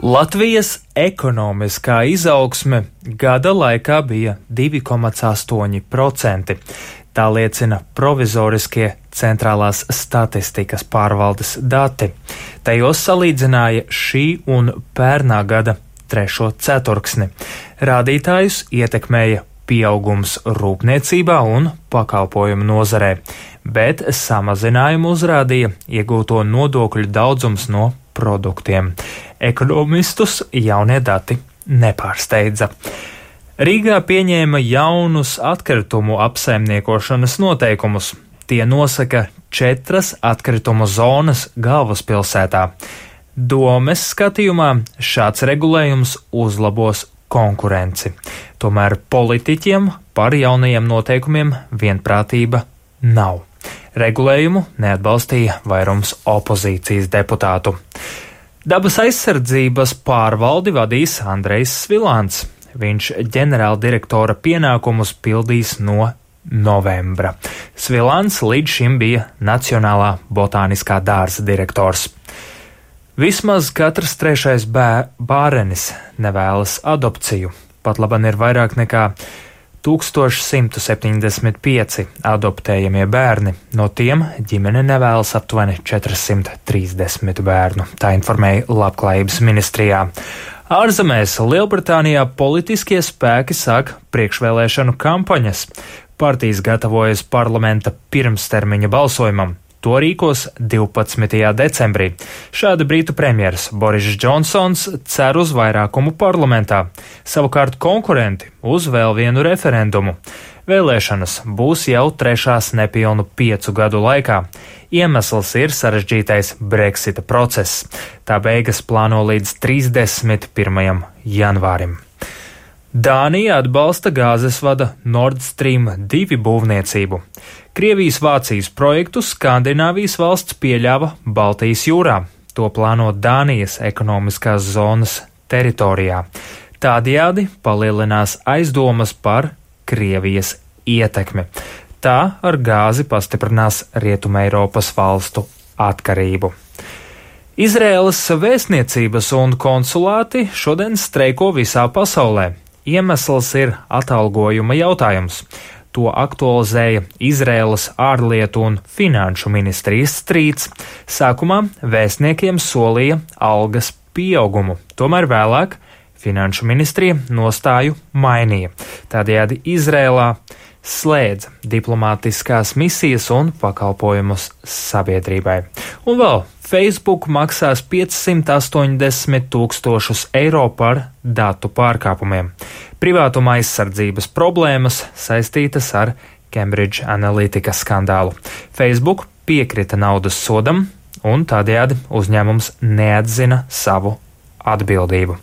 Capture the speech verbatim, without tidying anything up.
Latvijas ekonomiskā izaugsme gada laikā bija divi komats astoņi procenti. Tā liecina provizoriskie centrālās statistikas pārvaldes dati. Tajos salīdzināja šī un pērnā gada trešo ceturksni. Rādītājus ietekmēja pieaugums rūpniecībā un pakalpojumu nozarē, bet samazinājumu uzrādīja iegūto nodokļu daudzums no produktiem. Ekonomistus jaunie dati nepārsteidza. Rīgā pieņēma jaunus atkritumu apsaimniekošanas noteikumus. Tie nosaka četras atkritumu zonas galvaspilsētā. Domes skatījumā šāds regulējums uzlabos konkurenci. Tomēr politiķiem par jaunajiem noteikumiem vienprātība nav. Regulējumu neatbalstīja vairums opozīcijas deputātu. Dabas aizsardzības pārvaldi vadīs Andrejs Svilāns. Viņš ģenerāldirektora pienākumus pildīs no novembra. Svilāns līdz šim bija Nacionālā botāniskā dārza direktors. Vismaz katrs trešais bē, bārenis nevēlas adopciju. Pat laban ir vairāk nekā tūkstoš simt septiņdesmit pieci adoptējamie bērni. No tiem ģimene nevēlas aptuveni četrsimt trīsdesmit bērnu, tā informēja Labklājības ministrijā. Ārzemēs Lielbritānijā politiskie spēki sāk priekšvēlēšanu kampaņas. Partijas gatavojas parlamenta pirmstermiņa balsojumam. To rīkos divpadsmitajā decembrī. Šādi Britu premjeras Boris Džonsons cer uz vairākumu parlamentā, savukārt konkurenti uz vēl vienu referendumu. Vēlēšanas būs jau trešās nepilnu piecu gadu laikā. Iemesls ir sarežģītais Brexita process. Tā beigas plāno līdz trīsdesmit pirmajam janvārim. Dānija atbalsta gāzes vada Nord Stream divi būvniecību. Krievijas-Vācijas projektu Skandināvijas valsts pieļāva Baltijas jūrā. To plāno Dānijas ekonomiskās zonas teritorijā. Tādējādi palielinās aizdomas par Krievijas ietekmi. Tā ar gāzi pastiprinās Rietumeiropas valstu atkarību. Izraēlas vēstniecības un konsulāti šodien streiko visā pasaulē. Iemesls ir atalgojuma jautājums. To aktualizēja Izraēlas ārlietu un finanšu ministrijas strīds. Sākumā vēstniekiem solīja algas pieaugumu, tomēr vēlāk finanšu ministrija nostāju mainīja. Tādējādi Izraēlā slēdza diplomātiskās misijas un pakalpojumus sabiedrībai. Un vēl Facebook maksās piecsimt astoņdesmit tūkstošus eiro par datu pārkāpumiem. Privātuma aizsardzības problēmas saistītas ar Cambridge Analytica skandālu. Facebook piekrita naudas sodam un tādējādi uzņēmums neatzina savu atbildību.